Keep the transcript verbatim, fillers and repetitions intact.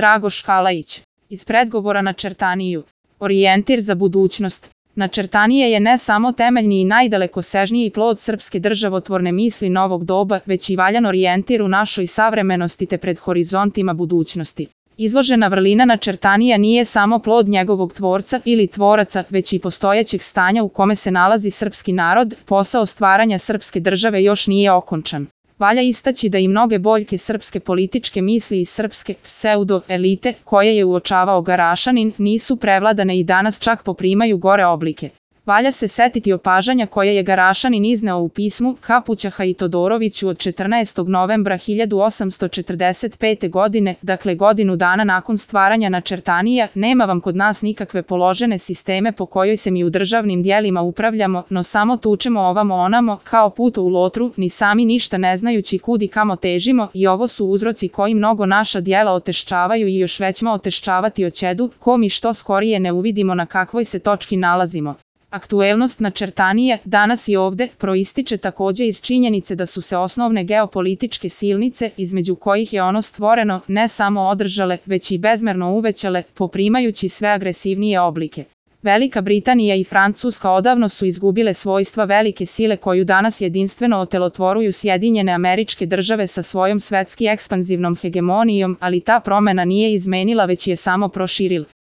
Dragoš Kalajić. Iz predgovora na Čertaniju. Orijentir za budućnost. Načertanije je ne samo temeljni i najdalekosežniji plod srpske državotvorne misli novog doba, već i valjan orijentir u našoj savremenosti te pred horizontima budućnosti. Izložena vrlina Načertanija nije samo plod njegovog tvorca ili tvoraca, već i postojećeg stanja u kome se nalazi srpski narod, posao stvaranja srpske države još nije okončan. Valja istaći da i mnoge boljke srpske političke misli i srpske pseudo-elite, koje je uočavao Garašanin, nisu prevladane i danas čak poprimaju gore oblike. Valja se setiti opažanja koje je Garašanin izneo u pismu Kapućaha i Todoroviću od četrnaestog novembra hiljadu osamsto četrdeset pete. godine, dakle godinu dana nakon stvaranja Načertanija: nema vam kod nas nikakve položene sisteme po kojoj se mi u državnim dijelima upravljamo, no samo tučemo ovamo onamo, kao puto u lotru, ni sami ništa ne znajući kud i kamo težimo, i ovo su uzroci koji mnogo naša dijela oteščavaju i još većmo oteščavati oćedu, ko mi što skorije ne uvidimo na kakvoj se točki nalazimo. Aktuelnost Načertanije, danas i ovde, proističe takođe iz činjenice da su se osnovne geopolitičke silnice, između kojih je ono stvoreno, ne samo održale, već i bezmerno uvećale, poprimajući sve agresivnije oblike. Velika Britanija i Francuska odavno su izgubile svojstva velike sile koju danas jedinstveno otelotvoruju Sjedinjene Američke Države sa svojom svetski ekspanzivnom hegemonijom, ali ta promena nije izmenila, već je samo proširila.